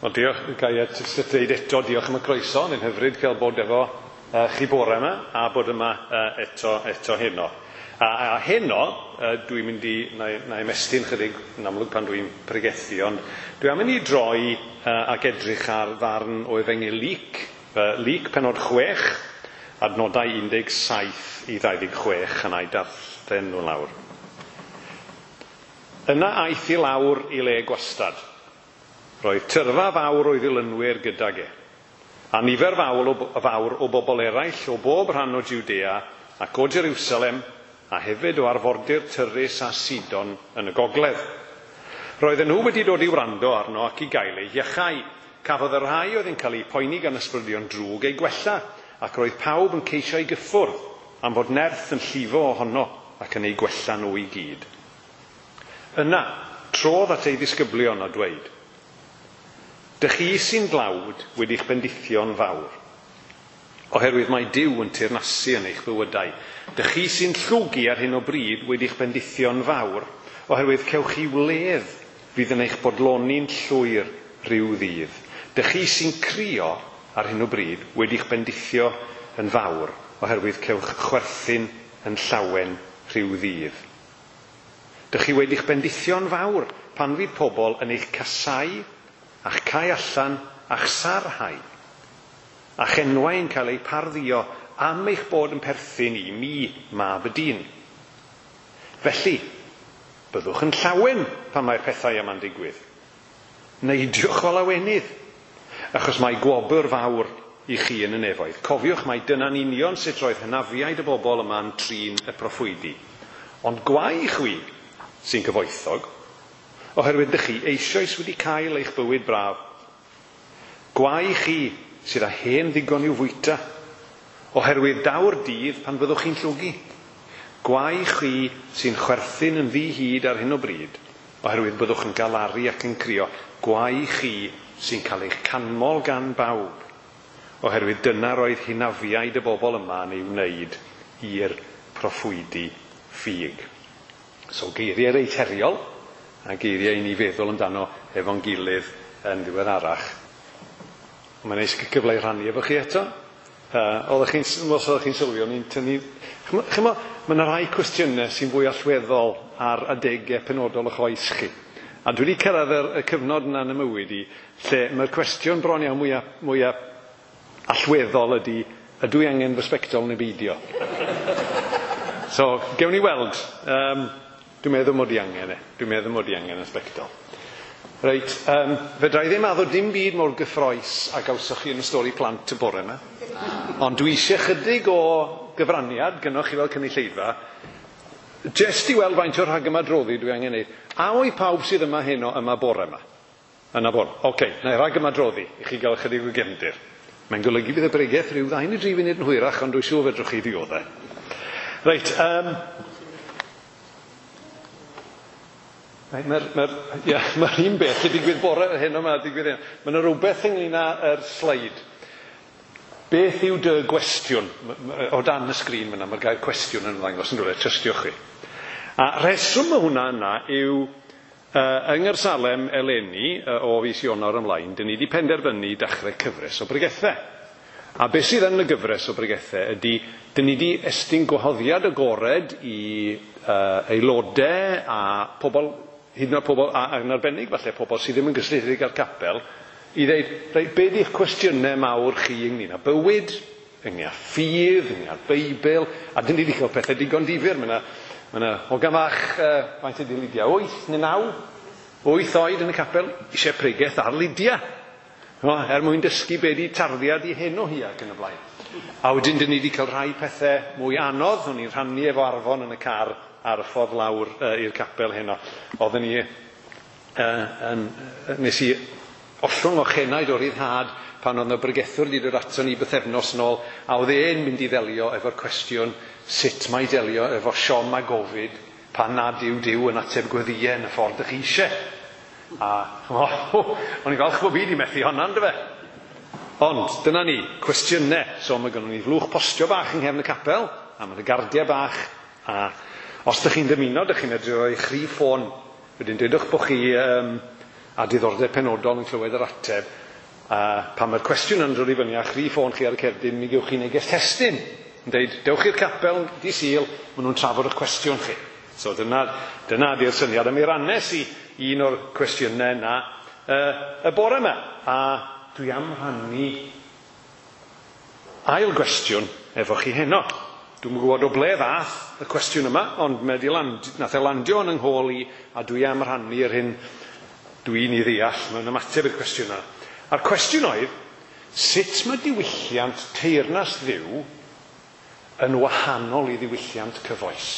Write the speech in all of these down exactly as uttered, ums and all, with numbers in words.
Wel, diolch, ga i jyst dweud eto, diolch am y croeso. Mae'n hyfryd cael bod efo uh, chi bore yma a bod yma uh, eto, eto heno. A, a heno, uh, dwi'n mynd i, na, na ymestyn chydig yn amlwg pan dwi'n pregethu, ond dwi am mynd i droi uh, ac edrych ar ddarn o Efengyl Luc, uh, Luc pennod chwech, adnodau un deg saith i ddau ddeg chwech, a na i darllen nhw lawr. Yna aeth i lawr i le gwastad. Roedd tyrfa fawr o'i ddilynwyr gydag e, a nifer fawr o, fawr o bobl eraill o bob rhan o Judea ac o Jerusalem, a hefyd o arfordir Tyrus a Sidon yn y gogledd. Roedden nhw wedi dod i wrando arno ac i gael eu iachau. Cafodd y rhai oedd yn cael eu poeni gan ysbrydion drwg eu gwella, ac roedd pawb yn ceisio ei gyffwrdd am fod nerth yn llifo ohono ac yn eu gwella nhw i gyd. Yna, trodd at ei ddisgyblion a dweud, Dych chi sy'n dlawd wedi'ch bendithio'n fawr, oherwydd mae Duw yn teyrnasu yn eich bywydau. Dych chi sy'n llwgu ar hyn o bryd wedi'ch bendithio'n fawr, oherwydd cewch chi wledd fydd yn eich bodloni'n llwyr rhyw ddydd. Dych chi sy'n crio ar hyn o bryd wedi'ch bendithio yn fawr, oherwydd cewch chwerthin yn llawen rhyw ddydd. Dych chi wedi'ch bendithio'n fawr pan fydd pobl yn eich casau, a'ch cau allan, a'ch sarhau, a'ch enwau yn cael eu pardduo am eich bod yn perthyn i mi, mab y dyn. Felly, byddwch yn llawen pan mae'r pethau yma'n digwydd. Neidiwch o lawenydd, achos mae gwobr fawr i chi yn y nefoedd. Cofiwch mai dyna'n union sut roedd hynafiaid y bobl yma'n trin y proffwydi. Ond gwae chwi sy'n gyfoethog, oherwydd dych chi eisoes wedi cael eich bywyd braf. Gwae chi sydd â hen ddigon i'w fwyta, oherwydd daw'r dydd pan fyddwch chi'n llwgu. Gwae chi sy'n chwerthin yn ddi-hid ar hyn o bryd, oherwydd byddwch yn galaru ac yn crio. Gwae chi sy'n cael eich canmol gan bawb, oherwydd dyna roedd hynafiaid y bobl yma yn ei wneud i'r proffwydi ffug. So geiriau reit heriol, a geiriau i ni feddwl amdano efo'n gilydd yn ddiweddarach. Mae'n neis cyfle i rhannu efo chi eto. Uh, oeddech chi'n, os oeddech chi'n sylwi, o'n i'n tynnu... Chymod, mae yna rai cwestiynau sy'n fwy allweddol ar adegau penodol o'ch oes chi. A dwi wedi cyrraedd y, y cyfnod yna yn y mywyd i, lle mae'r cwestiwn bron iawn mwyaf, mwyaf allweddol ydy, ydw i angen fy sbectol neu beidio? So, gewn ni weld. Um, Dwi'n meddwl mod i angen e. Dwi'n meddwl mod i angen y sbectol. Reit, um, fedra i ddim addo dim byd mor gyffrous a gawsoch chi yn y stori plant y bore yma. Ond dwi eisiau chydig o gyfraniad gynnoch chi fel cynulleidfa, jyst i weld faint o'r rhagymadroddi dwi angen neud. A oedd pawb sydd yma heno yma bore yma? Yna bore. Oce, okay, na i rhagymadroddi i chi gael chydig o gefndir. Mae'n golygu bydd y bregeth rhyw ddau neu dri funud yn hwyrach, ond dwi'n siŵr fedrwch chi ddioddau. Reit, um, Mae'r mae, yeah, mae un beth yn digwydd bore hyn yma, digwydd hyn. Mae yna rhywbeth ynglyn â'r sleid. Beth yw dy gwestiwn? O dan y sgrin fyna, mae'r gair cwestiwn yn ymddangos yn rhywle, trystiwch chi. A rheswm y hwnna yna yw, uh, yng Nghaersalem eleni, uh, o fis Ionawr ymlaen, dyn ni wedi penderfynu dechrau cyfres o bregethau. A beth sydd yn y gyfres o bregethau ydy, dyn ni wedi estyn gwahoddiad agored i uh, aelodau a pobl, hyd yn oed pobl, a yn arbennig falle pobl sydd ddim yn gysylltiedig â'r capel, i ddeud, reit, be di'ch cwestiynau mawr chi ynglyn â bywyd, ynglyn â ffydd, ynglyn â'r Beibl, a dyn ni wedi cael pethau digon difyr. Mae yna, mae yna hogan fach, uh, faint ydy Lydia, wyth neu naw, wyth oed yn y capel, eisiau pregeth ar Lydia, no, er mwyn dysgu be di tarddiad i hyn o hi ac yn y blaen. A wedyn dyn ni wedi cael rhai pethau mwy anodd, o'n i'n rhannu efo Arfon yn y car ar y ffordd lawr uh, i'r capel heno. Oedden ni, uh, yn, nes i ollwng o chenaid o ryddhad pan oedd yna bregethwr wedi dod ato ni bythefnos nôl, a oedd e'n mynd i ddelio efo'r cwestiwn sut mae delio efo siom a gofid pan nad yw Duw yn ateb gweddïau yn y ffordd ych chi eisiau. A oh, o'n i'n falch bod fi wedi methu honna, yndyfe? Ond dyna ni, cwestiynau. So mae gynnon ni flwch postio bach yng nghefn y capel, a mae yna gardiau bach, a os ydych chi'n dymuno, ydych chi'n medru rhoi eich rhif ffôn. Wedyn dwedwch bod chi um, a diddordeb penodol yn clywed yr ateb, a pan mae'r cwestiwn yn dod i fyny a'ch rhif ffôn chi ar y cerdyn, mi gewch chi neges testun yn dweud, dewch i'r capel di Sul, maen nhw'n trafod eich cwestiwn chi. So dyna, dyna di'r syniad. A mi rannes i un o'r cwestiynau yna uh, y bore yma. A dwi am rhannu ail gwestiwn efo chi heno. Dwi'm yn gwybod o ble ddath y cwestiwn yma, ond mae 'di land, nath e landio yn 'y nghôl i, a dwi am rhannu yr hyn dwi'n ei ddeall mewn ymateb i'r cwestiwn yna. A'r cwestiwn oedd, sut mae diwylliant teyrnas Dduw yn wahanol i ddiwylliant cyfoes?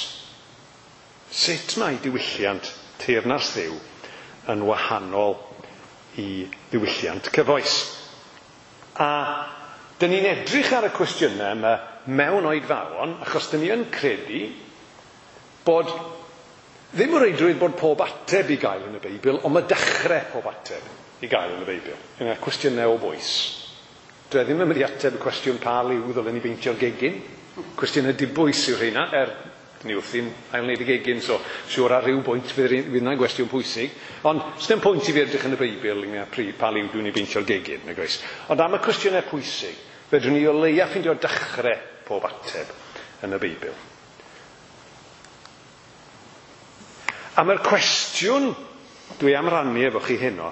Sut mae diwylliant teyrnas Dduw yn wahanol i ddiwylliant cyfoes? A dyn ni'n edrych ar y cwestiynau yma mewn oedfaon, achos dyn ni yn credu bod ddim o reidrwydd bod pob ateb i gael yn y Beibl, ond mae dechrau pob ateb i gael yn y Beibl. Yna cwestiynau o bwys. Dwi ddim yn mynd i ateb y cwestiwn pa liw ddylen ni beintio'r gegin. Cwestiynau dibwys yw rheina, er ni wrthi'n ail wneud y gegin, so siŵr ar ryw bwynt fydd yna'n gwestiwn pwysig. Ond sdim pwynt i fi edrych yn y Beibl ynglyn â pa liw dwi'n ei beintio'r gegin, nag oes. Ond am y cwestiynau pwysig, fedrwn ni o leia ffeindio dechrau pob ateb yn y Beibl. A mae'r cwestiwn dwi am rannu efo chi heno,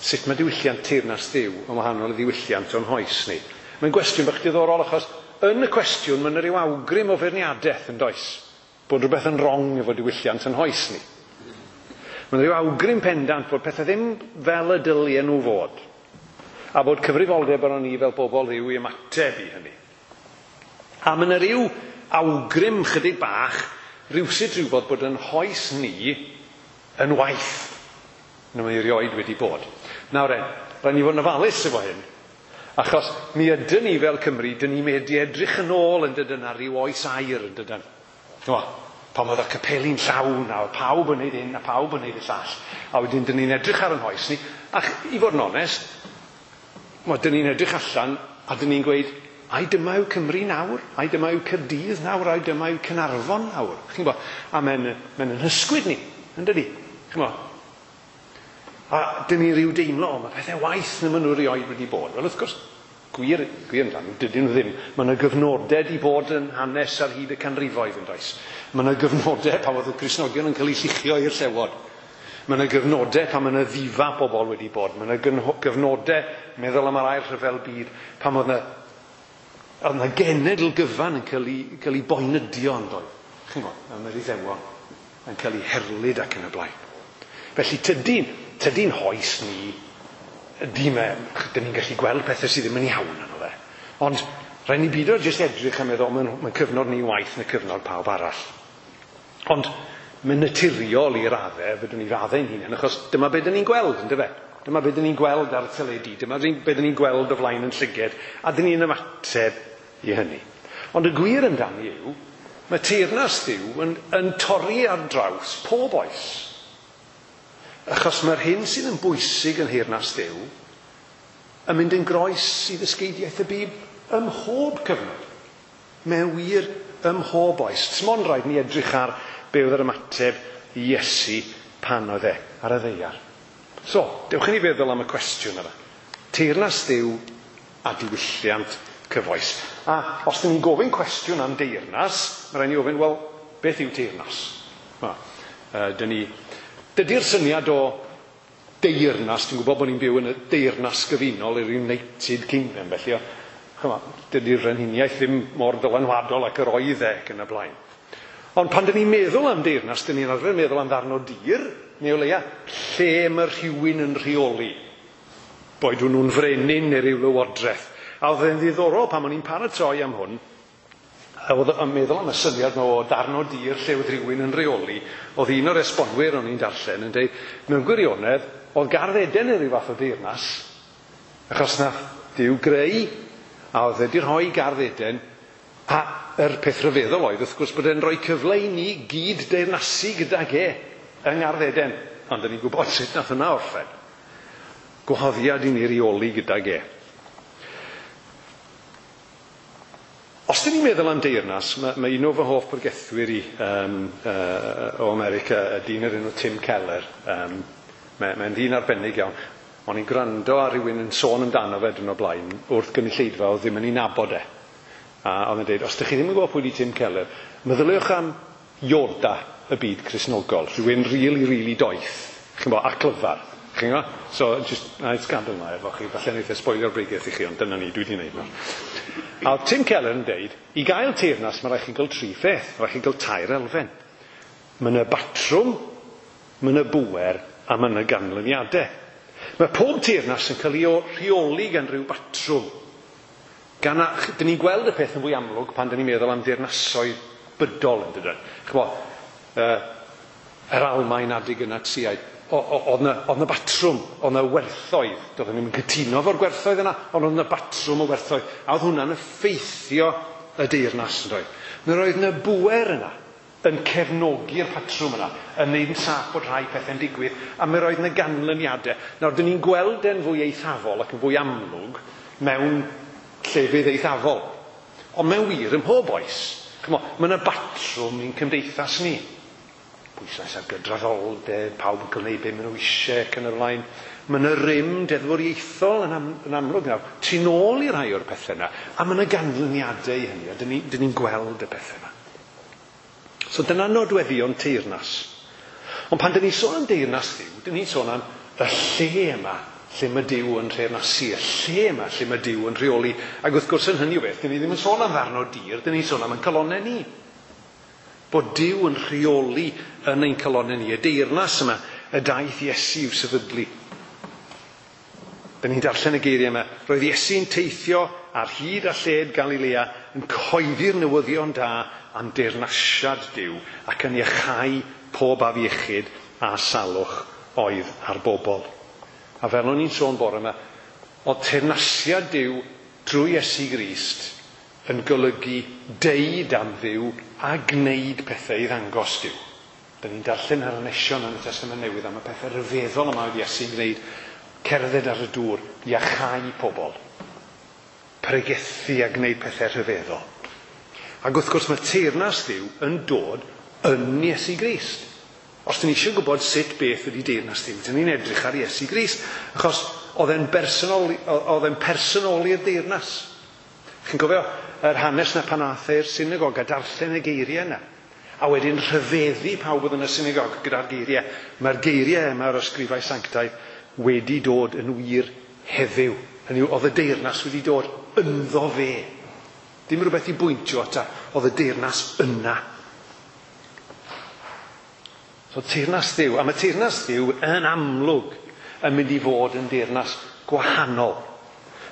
sut mae diwylliant teyrnas Dduw yn wahanol i ddiwylliant o'n hoes ni? Mae'n gwestiwn bach diddorol, achos yn y cwestiwn mae yna ryw awgrym o feirniadaeth, yn does? Bod rhywbeth yn wrong efo diwylliant yn hoes ni. Mae yna ryw awgrym pendant bod pethau ddim fel y dylien nhw fod, a bod cyfrifoldeb arnon ni fel bobl Dduw i ymateb i hynny. A mae yna ryw awgrym chydig bach, rhywsut rhywbeth bod yn hoes ni yn waeth na mae erioed wedi bod. Nawr en, rhaid ni fod yn ofalus efo hyn, achos mi ydyn ni fel Cymru, dyn ni medru edrych yn ôl yn dydyn ar ryw oes aur yn dydyn. O, pan oedd y capeli'n llawn a oedd pawb yn neud hyn a pawb yn neud y llall. A wedyn dyn ni'n edrych ar yn hoes ni, ac i fod yn onest, mo, dyn ni'n edrych allan a dyn ni'n gweud, ai dyma yw Cymru nawr, ai dyma yw Caerdydd nawr, ai dyma yw Caernarfon nawr. Chi'n gwybod? A mae'n mae'n yn hysgwyd ni, yn dydi? Chi'n gwybod? A dyn ni ryw deimlo, o, mae pethau waeth na maen nhw erioed wedi bod. Wel, wrth gwrs, gwir, gwir amdano, dydyn nhw ddim. Mae yna gyfnodau di bod yn hanes ar hyd y canrifoedd, yn does. Mae yna gyfnodau pan oedd y Cristnogion yn cael eu lluchio i'r llewod. Mae yna gyfnodau pan mae yna ddifa bobl wedi bod. Mae yna gyfnodau, meddwl am yr ail rhyfel byd, pan oedd yna, oedd yna genedl gyfan yn cael ei, cael ei boenydio, yn doedd. Chi'n gwybod, am yr Iddewon yn cael ei herlid ac yn y blaen. Felly tydi'n, tydi'n hoes ni, dim, dyn ni'n gallu gweld pethau sydd ddim yn iawn yno fe. Ond rhaid ni beidio jyst edrych a meddwl, mae'n mae cyfnod ni waeth na cyfnod pawb arall. Ond mae'n naturiol i raddau, fedrwn ni faddau'n hunain, achos dyma be dyn ni'n gweld, yndyfe? Dyma be dyn ni'n gweld ar y teledu, dyma be dyn ni'n gweld o flaen yn llyged, a dyn ni'n ymateb i hynny. Ond y gwir amdani yw, mae teyrnas Dduw yn, yn torri ar draws pob oes. Achos mae'r hyn sydd yn bwysig yn nheyrnas Dduw yn mynd yn groes i ddysgeidiaeth y Bib ym mhob cyfnod. Mae'n wir ym mhob oes. S'mond rhaid ni edrych ar be oedd yr ymateb i Iesu pan oedd e ar y ddaear. So, dewch i ni feddwl am y cwestiwn yma. Teyrnas Dduw a diwylliant cyfoes. A os dyn ni'n gofyn cwestiwn am deyrnas, mae rhaid ni ofyn, wel, beth yw teyrnas? Wel, uh, dyn ni... Dydy'r syniad o deyrnas, dwi'n gwybod bod ni'n byw yn y deyrnas gyfunol i'r United Kingdom, felly, chymod, dydy'r frenhiniaeth ddim mor ddylanwadol ac yr oedd e ac yn y blaen. Ond pan dyn ni'n meddwl am deyrnas, dyn ni'n arfer meddwl am ddarn o dir, neu o leia, lle mae rhywun yn rheoli. Boed nhw'n frenin neu ryw lywodraeth. A oedd e'n ddiddorol pan o'n i'n paratoi am hwn, a oedd yn meddwl am y syniad yma o darn o dir lle oedd rhywun yn rheoli, oedd un o'r esbonwyr o'n i'n darllen yn dweud, mewn gwirionedd, oedd Gardd Eden yn rhyw fath o deyrnas, achos nath Duw greu, a oedd wedi rhoi Gardd Eden, a yr peth rhyfeddol oedd, wrth gwrs, bod e'n rhoi cyfle i ni gyd deyrnasu gydag e yng Ngardd Eden. Ond dyn ni'n gwybod sut nath hwnna orffen. Gwahoddiad i ni reoli gydag e. Os dyn ni'n meddwl am deyrnas, mae, mae un o fy hoff bregethwyr i um, uh, o America, y dyn o'r enw Tim Keller, um, Mae'n mae ddyn arbennig iawn. O'n i'n gwrando ar rhywun yn sôn amdano fe dyn o blaen wrth gynulleidfa oedd ddim yn ei nabod e. A oedd yn dweud, os ydych chi ddim yn gwybod pwy di Tim Keller, meddyliwch am Yoda y byd Cristnogol, rhywun really, really doeth, chi'n gwybod, a clyfar. Chi'n gwybod? So, just, na i gadael 'na efo chi, falle wneith e spoilio'r bregeth i chi, ond dyna ni, dwi wedi gwneud nawr. A oedd Tim Keller yn deud, i gael teyrnas, mae rhaid chi gael tri pheth, mae rhaid chi gael tair elfen. Mae yna batrwm, mae yna bŵer, a mae yna ganlyniadau. Mae pob teyrnas yn cael ei rheoli gan ryw batrwm. Gan a, dyn ni'n gweld y peth yn fwy amlwg pan dyn ni'n meddwl am deyrnasoedd bydol yn dydyn. Ch'mo, uh, yr Almaen adeg y Natsïaid, oedd yna, oedd yna batrwm, oedd yna werthoedd. Doedden ni'm yn cytuno efo'r gwerthoedd yna, ond oedd yna batrwm o werthoedd. A oedd hwnna'n effeithio y deyrnas yn doedd. Mi roedd yna bŵer yna yn cefnogi'r patrwm yna, yn neud yn saff bod rhai pethau'n digwydd, a mi roedd yna ganlyniadau. Nawr, dyn ni'n gweld e'n fwy eithafol ac yn fwy amlwg mewn llefydd eithafol. Ond mewn wir, ym mhob oes, ch'mo, mae yna batrwm i'n cymdeithas ni. Pwyslais ar gydraddoldeb, pawb yn cael gwneud be maen nhw eisiau ac yn y blaen. Mae yna rym deddfwriaethol yn, am, yn amlwg nawr. Tu nôl i rai o'r pethau yna, a mae yna ganlyniadau i hynny, a dyn ni'n ni gweld y pethau yna. So dyna nodweddion teyrnas. Ond pan dyn ni'n sôn am deyrnas Dduw, dyn ni'n sôn am y lle yma lle mae Duw yn teyrnasu, y lle yma lle mae Duw yn rheoli. Ac wrth gwrs yn hynny o beth, dyn ni ddim yn sôn am ddarn o dir, dyn ni'n sôn am ein calonnau ni. Bod Duw yn rheoli yn ein calonnau ni, y deyrnas yma, y daeth Iesu i'w sefydlu. Dyn ni'n darllen y geiriau yma. Roedd Iesu'n teithio ar hyd a lled Galilea yn cyhoeddi'r newyddion da am deyrnasiad Duw ac yn iachau pob afiechyd a salwch oedd ar bobl. A fel o'n i'n sôn bore yma, oedd teyrnasiad Duw drwy Iesu Grist yn golygu deud am Dduw a gwneud pethau i ddangos Duw. Dyn ni'n darllen yr hanesion yn y Testament Newydd am y pethau rhyfeddol yma oedd Iesu'n gwneud, cerdded ar y dŵr, iachau pobl, pregethu a gwneud pethau rhyfeddol. Ac wrth gwrs mae teyrnas Dduw yn dod yn Iesu Grist. Os dyn ni eisiau gwybod sut beth ydy deyrnas Dduw, dyn ni'n edrych ar Iesu Grist, achos oedd e'n bersonoli, oedd e'n personoli'r deyrnas. Chi'n cofio yr hanes na pan aeth e i'r synagog a darllen y geiriau yna, a wedyn rhyfeddu pawb oedd yn y synagog gyda'r geiriau. Mae'r geiriau yma o'r ysgrifau sanctaidd wedi dod yn wir heddiw. Hynny yw, oedd y deyrnas wedi dod ynddo fe. Dim rhywbeth i bwyntio ata, oedd y deyrnas yna. So teyrnas Dduw, a mae teyrnas Dduw yn amlwg yn mynd i fod yn deyrnas gwahanol.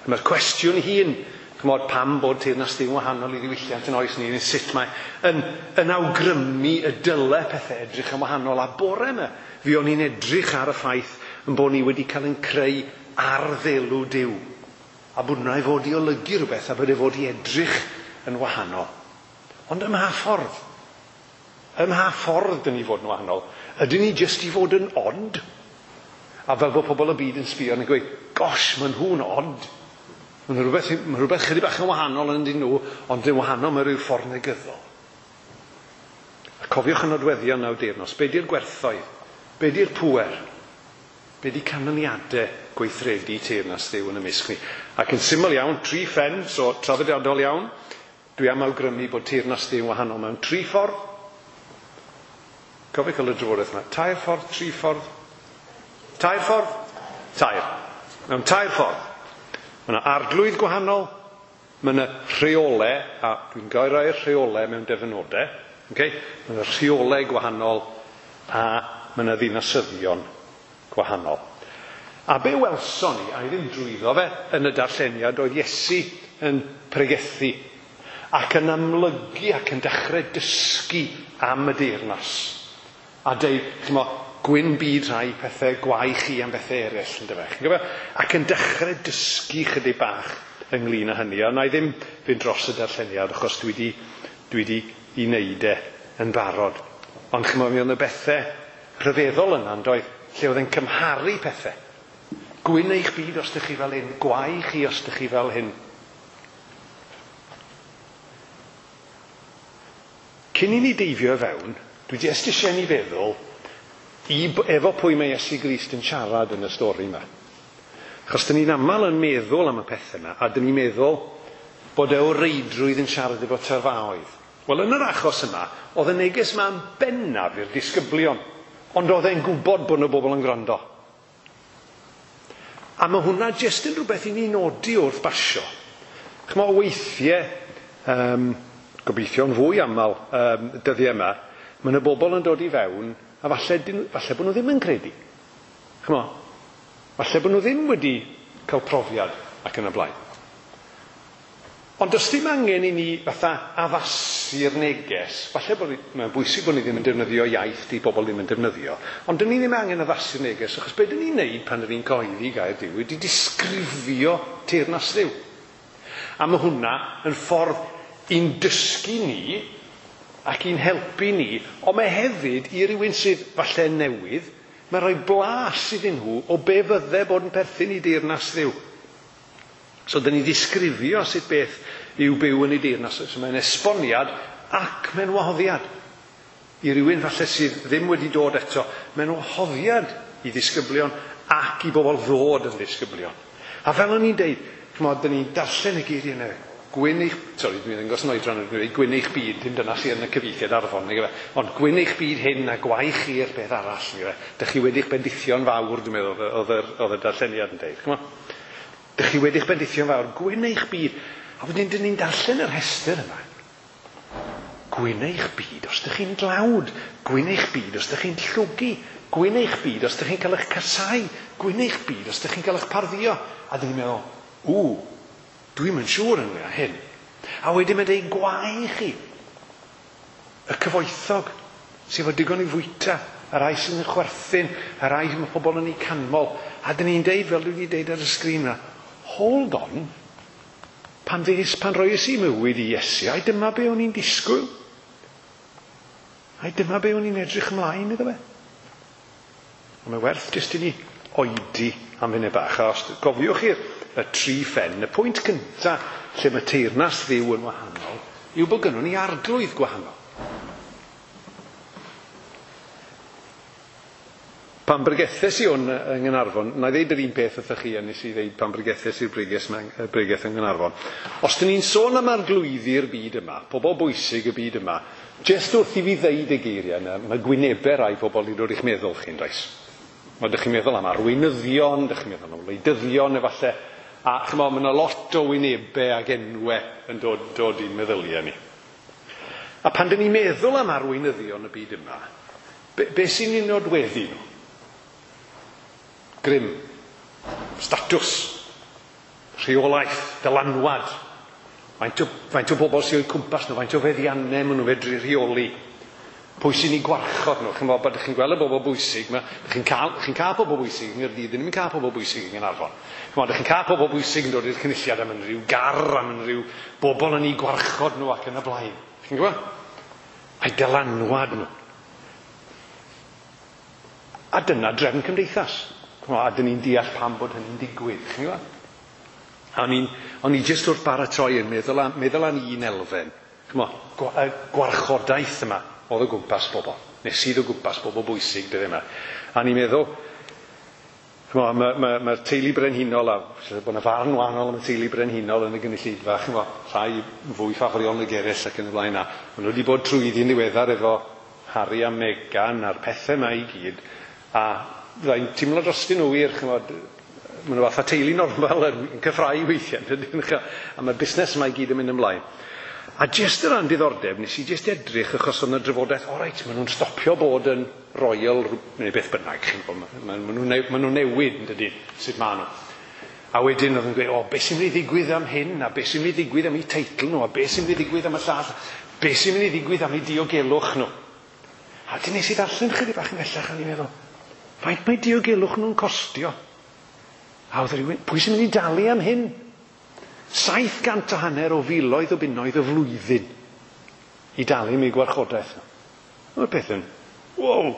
A mae'r cwestiwn hun, ch'mod, pam bod teyrnas Dduw yn wahanol i ddiwylliant yn oes ni, neu sut mae yn, yn awgrymu y dyle pethau edrych yn wahanol. A bore yma, fi o'n i'n edrych ar y ffaith yn bod ni wedi cael ein creu ar ddelw Duw. A bod hwnna i fod i olygu rhywbeth, a bod e fod i edrych yn wahanol. Ond ym mha ffordd? Ym mha ffordd dyn ni fod yn wahanol? Ydyn ni jyst i fod yn odd? A fel bod pobl y byd yn sbio yn gweud, gosh, maen nhw'n odd. Mae'n rhywbeth, ma rhywbeth chydig bach yn wahanol yn dyn nhw, ond yn wahanol mewn rhyw ffordd negyddol. A cofiwch y nodweddion naw deyrnas. Be di'r gwerthoedd? Be di'r pŵer? Be di canlyniadau gweithredu teyrnas Dduw yn y mysg ni? Ac yn syml iawn, tri phen, so traddodiadol iawn, dwi am awgrymu bod teyrnas Dduw yn wahanol mewn tri ffordd. Cofio cael y drafodaeth yma. Tair ffordd, tri ffordd. Tair ffordd? Tair. Mewn tair ffordd. Mae yna arglwydd gwahanol, mae yna rheolau, a dwi'n gael rhai'r rheolau mewn dyfynodau, okay? Mae yna rheolau gwahanol, a mae yna ddinasyddion gwahanol. A be welson ni, a i ddim drwyddo fe, yn y darlleniad, oedd Iesu yn pregethu ac yn amlygu ac yn dechrau dysgu am y deyrnas. A deud, ch'mo, gwyn byd rhai pethau, gwae chi am bethau eraill, yn dyfe. Chi'n gwybod? Ac yn dechrau dysgu chydig bach ynglyn â hynny. A na i ddim fynd dros y darlleniad, achos dwi di, dwi di i wneud e yn barod. Ond ch'mo, mi oedd y bethau rhyfeddol yna, yn doedd, lle oedd e'n cymharu pethau. Gwyn eich byd os ydych chi fel hyn, gwae chi os ydych chi fel hyn. Cyn i ni deifio fewn, dwi jyst eisiau ni feddwl i, efo pwy mae Iesu Grist yn siarad yn y stori yma. Achos dyn ni'n aml yn meddwl am y pethau yma, a dyn ni'n meddwl bod e o reidrwydd yn siarad efo tyrfaoedd. Wel, yn yr achos yma, oedd y neges yma'n bennaf i'r disgyblion, ond oedd e'n gwybod bod yna bobl yn gwrando. A mae hwnna jyst yn rhywbeth i ni nodi wrth basio. Ch'mo', weithiau, um, gobeithio'n fwy aml um, dyddiau yma, mae yna bobl yn dod i fewn, a falle, falle bod nhw ddim yn credu. Ch'mo', falle bod nhw ddim wedi cael profiad ac yn y blaen. Ond does dim angen i ni fatha addasu'r neges. Falle bod mae'n bwysig bod ni ddim yn defnyddio iaith di bobl ddim yn defnyddio. Ond dyn ni ddim angen addasu'r neges, achos be dyn ni'n neud pan dyn ni'n cyhoeddi gair Duw ydy disgrifio teyrnas Dduw. A mae hwnna yn ffordd i'n dysgu ni ac i'n helpu ni, ond mae hefyd i rywun sydd falle newydd, mae'n rhoi blas iddyn nhw o be fydde bod yn perthyn i deyrnas Dduw. So, dyn ni ddisgrifio sut beth yw byw yn ei deyrnas. So, mae'n esboniad ac mae'n wahoddiad. I rywun falle sydd ddim wedi dod eto, mae'n wahoddiad i ddisgyblion ac i bobl ddod yn ddisgyblion. A fel o'n i'n deud, ch'mod, dyn ni'n darllen y geiriau yna. Gwyn eich... Sori, dwi'n ddangos yn oedran, dwi'n dweud gwyn eich byd, dim dyna sydd yn y cyfieithiad Arfon, nag yfe. Ond gwyn eich byd hyn a gwae chi'r beth arall, nag yfe. Dych chi wedi'ch bendithio'n fawr, dwi'n meddwl, oedd yr, oedd y darlleniad yn deud. Ch'mod? Dych chi wedi'ch bendithio'n fawr, gwyn eich byd. A wedyn, dyn ni'n darllen y rhestr yma. Gwyn eich byd os dych chi'n dlawd. Gwyn eich byd os dych chi'n llwgu. Gwyn eich byd os dych chi'n cael eich casau. Gwyn eich byd os dych chi'n cael eich parddio. A dyn ni'n meddwl, ww, dwi'm yn siŵr ynglyn â hyn. A wedyn mae'n deud gwae chi. Y cyfoethog sydd efo digon i fwyta, y rai sydd yn chwerthin, y rai mae pobl yn eu canmol. A dyn ni'n deud, fel dwi wedi deud ar y sgrin yna, hold on, pan ddes, pan roes i mywyd i Iesu, ai dyma be o'n i'n disgwyl? Ai dyma be o'n i'n edrych ymlaen iddo fe? Ond mae werth jyst i ni oedi am funud bach. A os gofiwch chi'r y tri phen, y pwynt cynta lle mae teyrnas Dduw yn wahanol, yw bod gynnon ni arglwydd gwahanol. Pan bregethes i hwn yng Nghaernarfon, na i ddeud yr un peth wrthych chi a nes i ddeud pan bregethes i'r bregeth, bregeth yng Nghaernarfon. Os dyn ni'n sôn am arglwyddi'r byd yma, pobl bwysig y byd yma, jyst wrth i fi ddeud y geiriau yna, mae gwynebau rai pobl i ddod i'ch meddwl chi'n does. Mae dych chi'n meddwl am arweinyddion, dych chi'n meddwl am wleidyddion efallai, a ch'mod, mae yna lot o wynebau ac enwau yn dod, dod i'n meddyliau ni. A pan dyn ni'n meddwl am arweinyddion y byd yma, be, be sy'n ei nodweddu nhw? Grym, statws, rheolaeth, dylanwad. Faint o, faint o bobl sy'n o'u cwmpas nhw, faint o feddiannau maen nhw fedru rheoli. Pwy sy'n ei gwarchod nhw? Chi'n bod chi'n gweld y bobl bwysig, ma, chi'n cael, chi'n cael pobl bwysig yng Nghaerdydd, ddim yn cael pobl bwysig yng Nghaernarfon. Chi'n chi'n cael pobl bwysig yn dod i'r cynulliad am unrhyw gar, am unrhyw bobl yn ei gwarchod nhw ac yn y blaen. Chi'n gwybod? A'i dylanwad nhw. A dyna drefn cymdeithas. A dyn ni'n deall pam bod hynny'n digwydd. Chi'n gwybod? A o'n i'n, o'n i jyst wrth baratoi yn meddwl am, meddwl am un elfen. Ch'mo', gwarchodaeth yma oedd o gwmpas bobl. Neu sydd o gwmpas bobl bwysig dyddiau yma. A ni'n meddwl, ch'mo', mae'r ma, ma, ma teulu brenhinol, a bod yna farn wahanol am y teulu brenhinol yn y gynulleidfa, ch'mo', rhai fwy ffafriol nag eraill ac yn y blaen. A maen nhw wedi bod trwyddi'n ddiweddar efo Harry a Meghan a'r pethau yma i gyd. A byddai'n teimlo drostyn nhw wir, ch'mod, maen nhw fatha teulu normal yn cyffrau weithiau, dydyn, a mae'r busnes yma i gyd yn mynd ymlaen. A jyst o ran diddordeb, nes i jyst edrych achos oedd yna drafodaeth, o reit, maen nhw'n stopio bod yn royal, neu beth bynnag, chi'n gwybod, maen nhw'n ma nhw newid, yn dydyn, sut maen nhw. A wedyn oedd yn gweud, o, beth sy'n mynd i ddigwydd am hyn, a beth sy'n mynd i ddigwydd am eu teitl nhw, a beth sy'n mynd i ddigwydd am y llall, beth sy'n mynd i ddigwydd am eu diogelwch nhw. A wedyn nes i ddarllen chydig bach yn bellach, a ni'n meddwl, faint mae diogelwch nhw'n costio? A oedd rhywun, pwy sy'n mynd i dalu am hyn? Saith gant o hanner o filoedd o bunnoedd y flwyddyn i dalu am eu gwarchodaeth nhw. Mae'r peth yn, wow,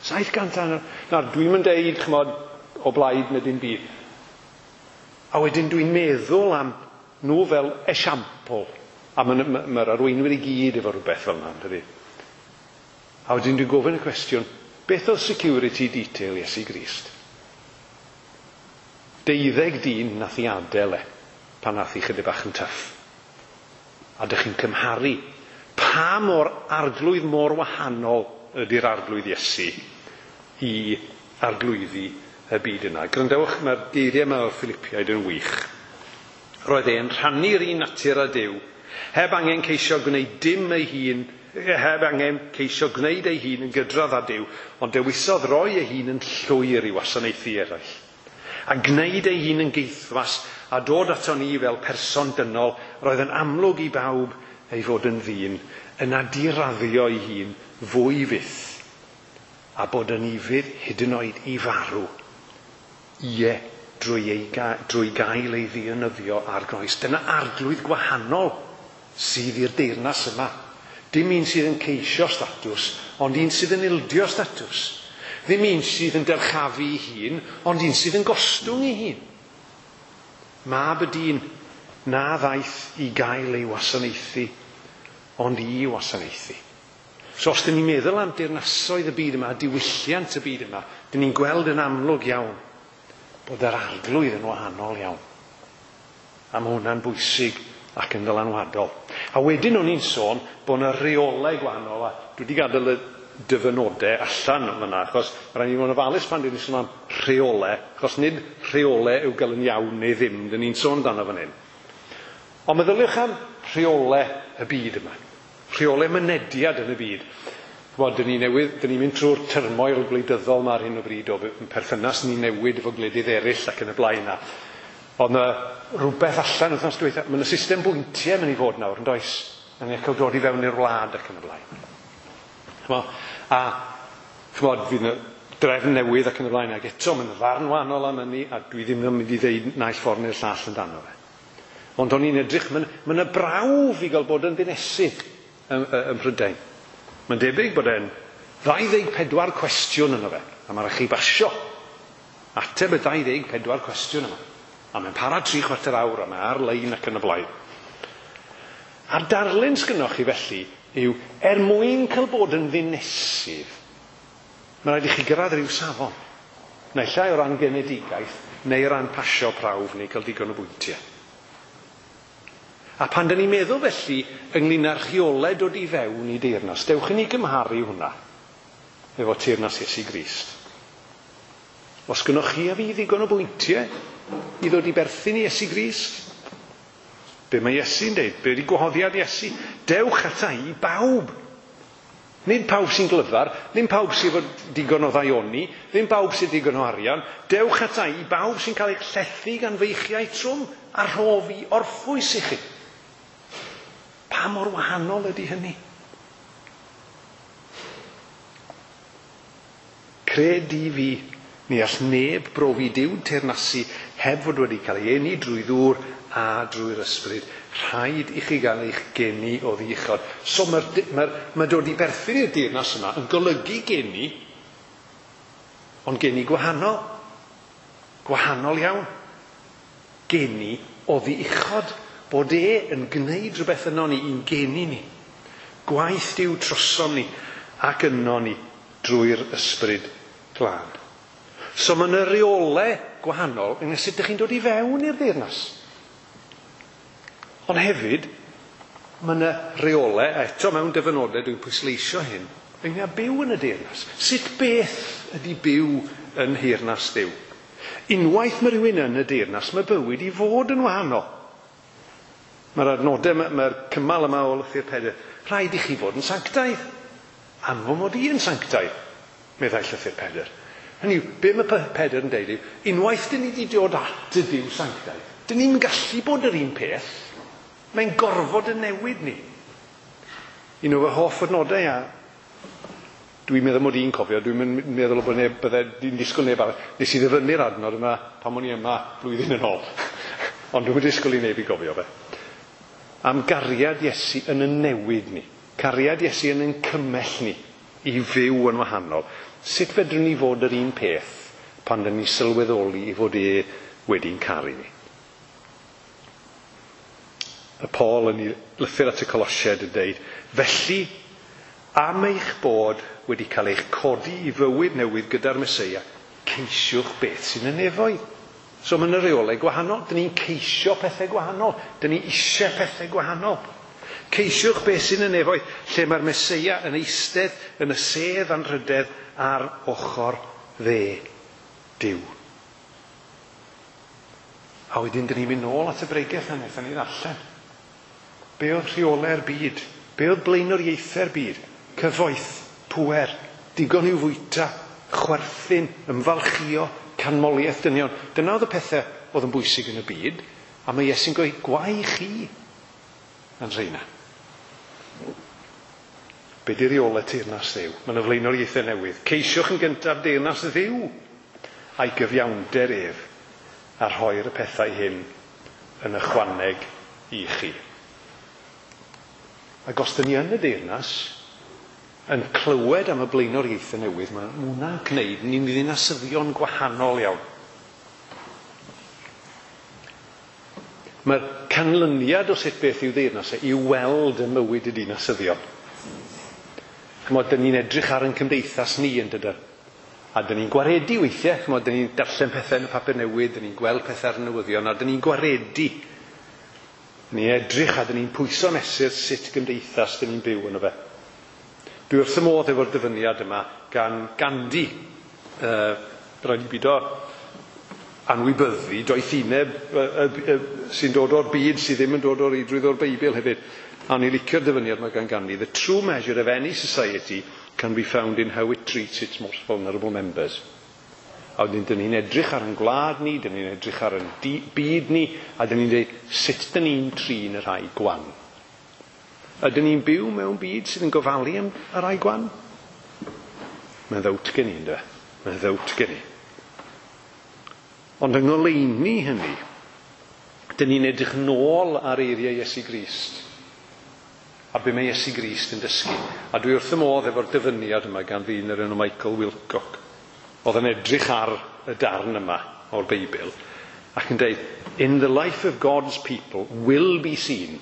saith gant o hanner. Nawr, dwi'm yn deud, ch'mod, o blaid neu dim byd. A wedyn dwi'n meddwl am nhw fel esiampl. A mae'r ma, ma arweinwyr i gyd efo rhywbeth fel yna, dydy. A wedyn dwi'n gofyn y cwestiwn, Beth oedd security detail Iesu Grist? Deuddeg dyn nath i adael e pan nath i chydig bach yn tyff. A dych chi'n cymharu pa mor arglwydd mor wahanol ydy'r arglwydd Iesu i arglwyddi y byd yna. Gwrandewch, mae'r geiriau yma o'r Philippiaid yn wych. Roedd e'n rhannu'r un natur â Duw, heb angen ceisio gwneud dim ei hun, heb angen ceisio gwneud ei hun yn gydradd â Duw, ond dewisodd roi ei hun yn llwyr i wasanaethu eraill. A gwneud ei hun yn geithwas a dod ato ni fel person dynol, roedd yn amlwg i bawb ei fod yn ddyn, yna diraddio ei hun fwy fyth, a bod yn ufudd hyd yn oed i farw. Ie, drwy, ei ga drwy gael ei ddienyddio ar groes. Dyna arglwydd gwahanol sydd i'r deyrnas yma. Dim un sydd yn ceisio statws, ond un sydd yn ildio statws. Ddim un sydd yn dyrchafu ei hun, ond un sydd yn gostwng ei hun. Mab y dyn na ddaeth i gael ei wasanaethu, ond i wasanaethu. So os dyn ni'n meddwl am deyrnasoedd y byd yma, diwylliant y byd yma, dyn ni'n gweld yn amlwg iawn bod yr arglwydd yn wahanol iawn. A mae hwnna'n bwysig ac yn ddylanwadol. A wedyn o'n i'n sôn bod yna reolau gwahanol, a dwi wedi gadael y dyfynodau allan fyna, achos mae rhaid i ni fod yn ofalus pan dyn ni'n sôn am rheolau, achos nid rheolau yw gael yn iawn neu ddim, dyn ni'n sôn amdano fan hyn. Ond meddyliwch am rheolau y byd yma, rheolau mynediad yn y byd. Wel, dyn ni newydd, dyn ni'n mynd trwy'r turmoil gwleidyddol yma ar hyn o bryd o perthynas ni newid efo gwledydd eraill ac yn y blaen. Ond yna rhywbeth allan wythnos dwytha, mae yna system bwyntiau mynd i fod nawr, yn does? Yn cael dod i fewn i'r wlad ac yn y blaen. Ch'mo, a ch'mod, fydd yna drefn newydd ac yn y blaen, ac eto mae'n ddarn wahanol am hynny, a dwi ddim yn mynd i ddeud naill ffordd neu'r llall amdano fe. Ond o'n i'n edrych, mae'n ma yna brawf i gael bod yn ddinesydd ym, ym Mhrydain. Mae'n debyg bod e'n ddau ddeg pedwar cwestiwn yno fe, a mae'n rhaid chi basio ateb y dau ddeg pedwar cwestiwn yma. A mae'n para tri chwarter awr, a mae ar-lein ac yn y blaen. A'r darlun sgynnoch chi felly yw, er mwyn cael bod yn ddinesydd, mae'n rhaid i chi gyrraedd rhyw safon. Naill ai o ran genedigaeth, neu o ran pasio prawf, neu cael digon o bwyntiau. A pan dyn ni'n meddwl felly ynglyn â'r rheolau dod i fewn i deyrnas, dewch i ni gymharu hwnna efo teyrnas Iesu Grist. Os gynnoch chi a fi ddigon o bwyntiau i ddod i berthyn i Iesu Grist, be mae Iesu'n deud? Be ydi gwahoddiad Iesu? Dewch ata i bawb. Nid pawb sy'n glyfar, ddim pawb sydd efo digon o ddaioni, ddim pawb sydd digon o arian. Dewch ata i bawb sy'n cael eich llethu gan feichiau trwm a rhof i orffwys i chi. Pa mor wahanol ydy hynny? Cred i fi, ni all neb brofi Duw teyrnasu heb fod wedi cael ei eni drwy ddŵr a drwy'r ysbryd. Rhaid i chi gael eich geni oddi uchod. So mae'r mae, mae dod i berthyn i'r deyrnas yma yn golygu geni, ond geni gwahanol. Gwahanol iawn. Geni oddi uchod. Bod e yn gwneud rhywbeth yno ni, i'n geni ni. Gwaith Duw trosom ni ac yno ni drwy'r ysbryd glân. So mae yna reolau gwahanol yn sut ydych chi'n dod i fewn i'r deyrnas. Ond hefyd, mae yna reolau, a eto mewn dyfynodau dwi'n pwysleisio hyn, ynglyn â byw yn y deyrnas. Sut beth ydy byw yn nheyrnas Dduw? Unwaith mae rhywun yn y deyrnas, mae bywyd i fod yn wahanol. Mae'r adnodau, mae'r cymal yma o Lythyr Pedr, rhaid i chi fod yn sanctaidd. Am fy mod i yn sanctaidd, meddai Llythyr Pedr. Hynny yw, be mae Pedr yn deud yw, unwaith dyn ni wedi dod at y Duw sanctaidd, dyn ni'n gallu bod yr un peth, mae'n gorfod yn newid ni. Un o fy hoff adnodau, a dwi'n meddwl mod i'n cofio, dwi'n meddwl bod neb, bydde, dwi'n disgwyl neb arall, nes i ddyfynnu'r adnod yma pan o'n i yma blwyddyn yn ôl. Ond dwi'n disgwyl i neb i gofio fe. Am gariad Iesu yn y newid ni. Cariad Iesu yn ein cymell ni i fyw yn wahanol. Sut fedrwn ni fod yr un peth pan dyn ni sylweddoli i fod e wedi'n caru ni? Y Paul yn ei lythyr at y Colosiaid yn deud, felly, Am eich bod wedi cael eich codi i fywyd newydd gyda'r Meseia, ceisiwch beth sy'n y nefoedd. So mae yna reolau gwahanol. Dyn ni'n ceisio pethau gwahanol. Dyn ni eisiau pethau gwahanol. Ceisiwch beth sy'n y nefoedd, lle mae'r Meseia yn eistedd yn y sedd anrhydedd ar ochr dde Duw. A wedyn dyn ni'n mynd nôl at y bregeth na wnaethon ni ddarllen. Be oedd rheolau'r byd? Be oedd blaenoriaethau'r byd? Cyfoeth, pŵer, digon i'w fwyta, chwerthin, ymfalchio, canmoliaeth dynion. Dyna oedd y pethau oedd yn bwysig yn y byd, a mae Iesu'n gweud, gwae chi yn rheina. Be di reolau teyrnas Dduw? Mae yna flaenoriaethau newydd. Ceisiwch yn gyntaf deyrnas Dduw a'i gyfiawnder ef, a rhoi'r pethau hyn yn ychwaneg i chi. Ac os dyn ni yn y deyrnas, yn clywed am y blaenoriaethau newydd, mae hwnna'n gwneud ni'n ddinasyddion gwahanol iawn. Mae'r canlyniad o sut beth yw deyrnas e i'w weld yn mywyd y dinasyddion. Chymod, dyn ni'n edrych ar ein cymdeithas ni yn dydyn. A dyn ni'n gwaredu weithiau, chymod, dyn ni'n darllen pethau yn y papur newydd, dyn ni'n gweld pethau ar y newyddion, a dyn ni'n gwaredu. Ni'n edrych a dyn ni'n pwyso mesur sut gymdeithas dyn ni'n byw yno fe. Dwi wrth y modd efo'r dyfyniad yma gan Gandhi. Uh, rhaid i bido anwybyddu doethineb uh, uh, uh, sy'n dod o'r byd sydd ddim yn dod o'r reidrwydd o'r Beibl hefyd. A o'n i'n licio'r dyfyniad yma gan Gandhi. The true measure of any society can be found in how it treats its most vulnerable members. A wedyn, dyn ni'n edrych ar ein gwlad ni, dyn ni'n edrych ar ein byd ni, a dyn ni'n dweud sut dyn ni'n trin y rhai gwan. Ydyn ni'n byw mewn byd sydd yn gofalu am y rhai gwan? Mae'n ddowt gen i, ynddo? Mae'n ddowt gen i. Ond yng ngoleuni hynny, dyn ni'n edrych nôl ar eiriau Iesu Grist. A be mae Iesu Grist yn dysgu. A dwi wrth y modd efo'r dyfyniad yma gan ddyn yr enw Michael Wilcock. Oedd yn edrych ar y darn yma o'r Beibl ac yn dweud, in the life of God's people will be seen.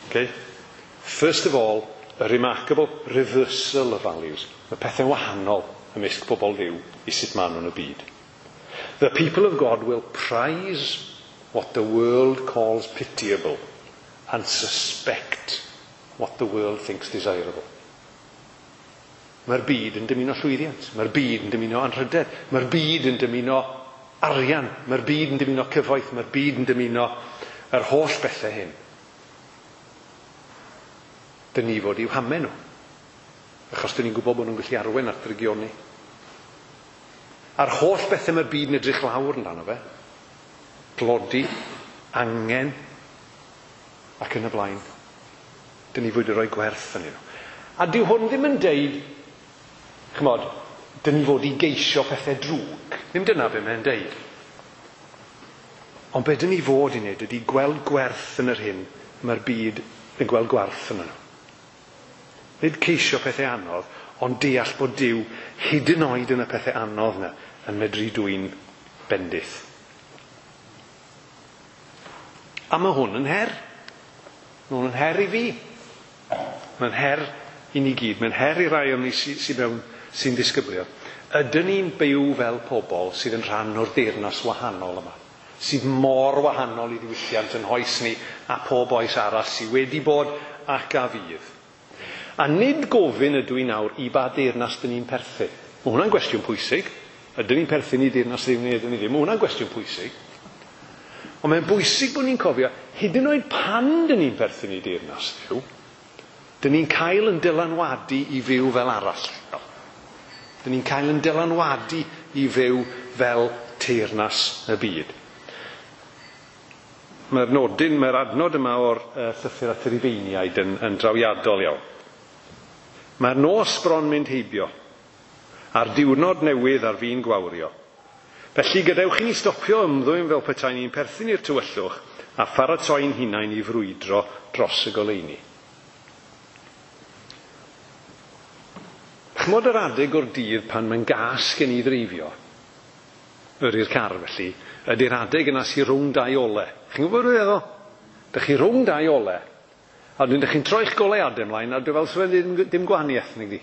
Okay? First of all, a remarkable reversal of values. Mae pethau'n wahanol ymysg pobl Dduw i sut maen nhw'n y byd. The people of God will prize what the world calls pitiable and suspect what the world thinks desirable. Mae'r byd yn dymuno llwyddiant, mae'r byd yn dymuno anrhydedd, mae'r byd yn dymuno arian, mae'r byd yn dymuno cyfoeth, mae'r byd yn dymuno yr holl bethau hyn. Dyn ni fod i'w hamau nhw, achos dyn ni'n gwybod bod nhw'n gallu arwain at ddrygioni. A'r holl bethau mae'r byd yn edrych lawr amdano fe, tlodi, angen, ac yn y blaen. Dyn ni fod i roi gwerth yn nhw. A dyw hwn ddim yn deud, chymod, dyn ni fod i geisio pethau drwg. Ddim dyna be mae'n deud. Ond be dyn ni fod i wneud ydy gweld gwerth yn yr hyn mae'r byd yn gweld gwerth yn nhw. Nid ceisio pethau anodd, ond deall bod Duw hyd yn oed yn y pethau anodd yna yn medru dwyn bendith. A mae hwn yn her. Mae hwn yn her i fi. Mae'n her i ni gyd. Mae'n her i rai o'n ni sy'n sy mewn sy'n ddisgyblion. Ydyn ni'n byw fel pobl sydd yn rhan o'r deyrnas wahanol yma? Sydd mor wahanol i ddiwylliant yn hoes ni a pob oes arall sydd wedi bod ac a fydd. A nid gofyn ydw i nawr i ba deyrnas dyn ni'n perthyn. Mae hwnna'n gwestiwn pwysig. Ydyn ni'n perthyn i deyrnas Dduw neu ydyn ni ddim? Mae hwnna'n gwestiwn pwysig. Ond mae'n bwysig bod ni'n cofio, hyd yn oed pan dyn ni'n perthyn i deyrnas Dduw, dyn ni'n cael yn dylanwadu i fyw fel arall. Dyn ni'n cael yn dylanwadu i fyw fel teyrnas y byd. Mae'r nodyn, mae'r adnod yma o'r uh, llythyr at y Rufeiniaid yn, yn drawiadol iawn. Mae'r nos bron mynd heibio, a'r diwrnod newydd ar fin gwawrio. Felly gadewch i ni stopio ymddwyn fel petai ni'n perthyn i'r tywyllwch a pharatoi'n hunain i frwydro dros y goleuni. Chymod yr adeg o'r dydd pan mae'n gas gen i ddreifio, yrru'r car felly, ydy'r adeg yna sy'n rhwng dau ole. Chi'n gwybod beth feddwl? Dych chi rhwng dau ole, A wedyn dych chi'n troi'ch goleuadau ymlaen, a dwi fel sy'n ddim, dim gwahaniaeth nag di.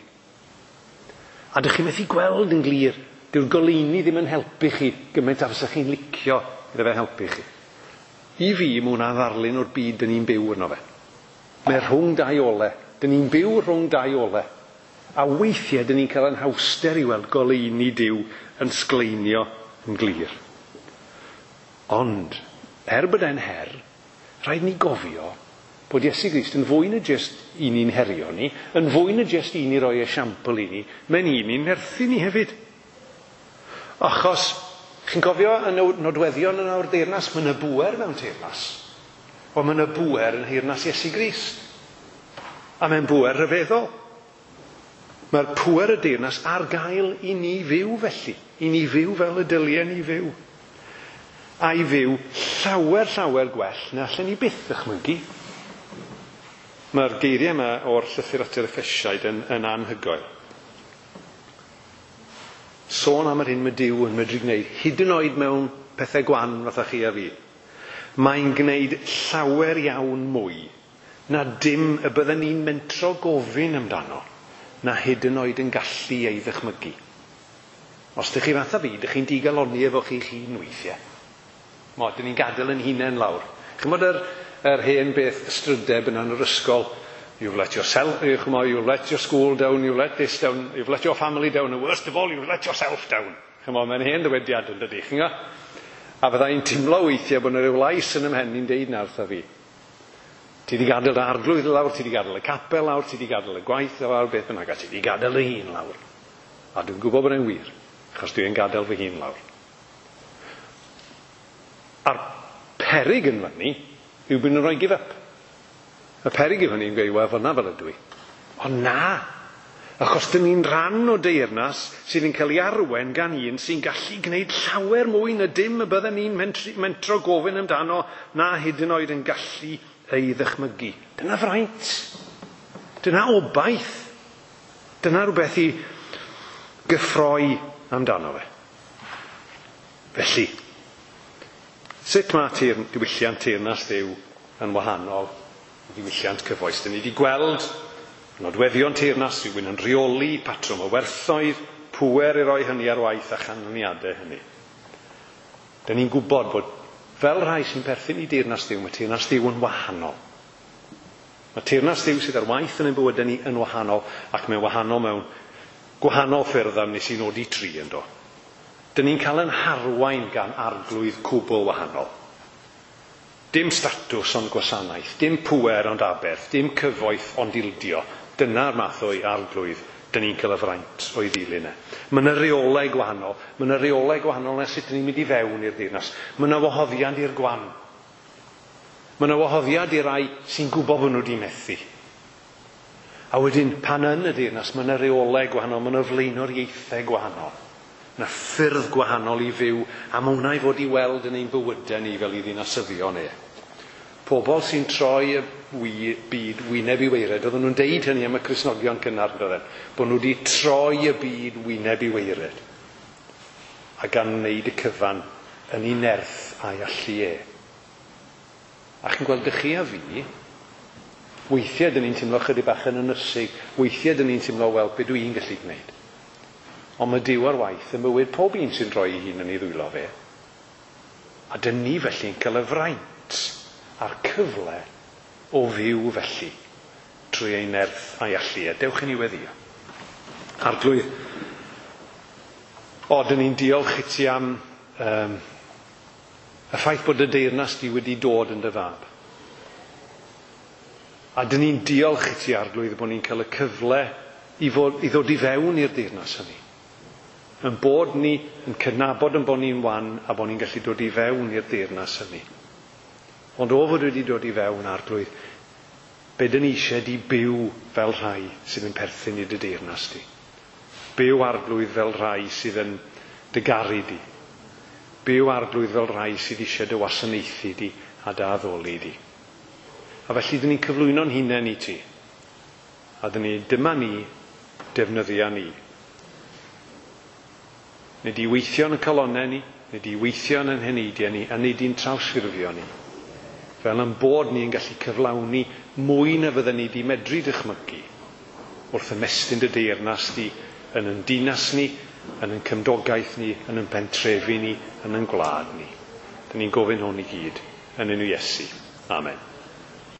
A dych chi'n methu gweld yn glir, dyw'r goleuni ddim yn helpu chi gymaint a fysa chi'n licio iddo fe helpu chi. I fi, mae hwnna ddarlun o'r byd dyn ni'n byw yno fe. Mae rhwng dau ole. Dyn ni'n byw rhwng dau ole. A weithiau dyn ni'n cael anhawster i weld goleuni Duw yn sgleinio yn glir. Ond, er bod e'n her, rhaid ni gofio bod Iesu Grist yn fwy na jyst i ni'n herio ni, yn fwy na jyst i ni roi esiampl i ni, mae'n un i'n nerthu ni hefyd. Achos, chi'n cofio y nodweddion yn o'r deyrnas, mae yna bŵer mewn teyrnas. Wel, mae yna bŵer yn nheyrnas Iesu Grist. A mae'n bŵer rhyfeddol. Mae'r pŵer y deyrnas ar gael i ni fyw felly. I ni fyw fel y dylien ni fyw. A i fyw llawer, llawer gwell na allan ni byth ddychmygu. Mae'r geiriau yma o'r llythyr at yr Effesiaid yn, yn anhygoel. Sôn am yr hyn mae Duw yn medru gwneud, hyd yn oed mewn pethau gwan fatha chi a fi. Mae'n gwneud llawer iawn mwy na dim y bydden ni'n mentro gofyn amdano, na hyd yn oed yn gallu ei ddychmygu. Os ydych chi fatha fi, ydych chi'n digalonni efo chi'ch hun weithiau. Mo, dyn ni'n gadael yn hunain lawr. Ch'mod yr, yr hen beth ystrydeb yna yn yr ysgol, you've let yourself, ch'mod, you've let your school down, you've let this down, you've let your family down, and worst of all, you've let yourself down. Ch'mod, mae'n hen ddywediad yn dydi, chi'n gwybod? A fydda i'n teimlo weithiau bod yna ryw lais yn 'y mhen i'n deud 'na wrtha fi. Ti di gadael dy arglwydd lawr, ti di gadael y capel lawr, ti di gadael y gwaith lawr, beth bynnag, a ti di gadael dy hun lawr. A dwi'n gwybod bod e'n wir, achos dwi'n gadael fy hun lawr. A'r perig yn fyny yw bod nhw'n rhoi give up. Y perig yw hynny yn gweud, wel, fyna fel ydw i. Ond na! Achos dyn ni'n rhan o deyrnas sydd yn cael ei arwen gan un sy'n gallu gwneud llawer mwy na dim y bydden ni'n mentro gofyn amdano na hyd yn oed yn gallu ei ddychmygu. Dyna fraint. Dyna obaith. Dyna rhywbeth i gyffroi amdano fe. Felly, sut mae teir, diwylliant teyrnas Dduw yn wahanol i ddiwylliant cyfoes? Dyn ni wedi gweld nodweddion teyrnas, rhywun yn rheoli, patrwm o werthoedd, pŵer i roi hynny ar waith a chanlyniadau hynny. Dyn ni'n gwybod bod fel rhai sy'n perthyn i deyrnas Dduw, mae teyrnas Dduw yn wahanol. Mae teyrnas Dduw sydd ar waith yn ein bywydau ni yn wahanol, ac mae'n wahanol mewn gwahanol ffyrdd am nes i nodi tri yn do. Dyn ni'n cael yn harwain gan arglwydd cwbl wahanol. Dim statws ond gwasanaeth, dim pŵer ond aberth, dim cyfoeth ond ildio. Dyna'r math o'i arglwydd dyn ni'n cael y fraint o'i ddilyn e. Mae yna reolau gwahanol. Mae yna reolau gwahanol na sut dyn ni'n mynd i fewn i'r deyrnas. Mae yna wahoddiad i'r gwan. Mae yna wahoddiad i rai sy'n gwybod bod nhw wedi methu. A wedyn, pan yn y deyrnas, mae yna reolau gwahanol, mae yna flaenoriaethau gwahanol. Mae yna ffyrdd gwahanol i fyw, a mae hwnna i fod i weld yn ein bywydau ni fel i ddinasyddion e. Pobl sy'n troi y byd wyneb i waered, oedden nhw'n deud hynny am y Cristnogion cynnar, doedden, bod nhw wedi troi y byd wyneb i waered. A gan wneud y cyfan yn ei nerth a'i allu e. A chi'n gweld ych chi a fi, weithiau dyn ni'n teimlo chydig bach yn ynysig, weithiau dyn ni'n teimlo, wel, be dwi'n gallu gwneud. Ond mae Duw ar waith yn bywyd pob un sy'n rhoi ei hun yn ei ddwylo fe. A dyn ni felly'n cael y fraint a'r cyfle o fyw felly trwy ei nerth a'i allu. A dewch i ni weddïo. Arglwydd, o, dyn ni'n diolch i ti am um, y ffaith bod y deyrnas di wedi dod yn dy fab. A dyn ni'n diolch i ti, Arglwydd, bod ni'n cael y cyfle i, fod, i ddod i fewn i'r deyrnas hynny. Yn bod ni yn cydnabod yn bod ni'n wan a bod ni'n gallu dod i fewn i'r deyrnas hynny. Ond o fod wedi dod i fewn, Arglwydd, be dyn ni eisiau di byw fel rhai sydd yn perthyn i dy deyrnas di. Byw, Arglwydd, fel rhai sydd yn dy garu di. Byw, Arglwydd, fel rhai sydd eisiau dy wasanaethu di a dy addoli di. A felly dyn ni'n cyflwyno'n hunain i ti. A dyn ni, dyma ni, defnyddia ni. Nid i weithio yn y calonnau ni, nid i weithio yn ein heneidiau ni, a nid i'n trawsffurfio ni. fel yn bod ni yn gallu cyflawni mwy na fydden ni wedi medru dychmygu wrth ymestyn dy deyrnas di yn yn dinas ni, yn yn cymdogaeth ni, yn yn pentrefi ni, yn yn gwlad ni. Dyn ni'n gofyn hwn i gyd yn enw Iesu. Amen.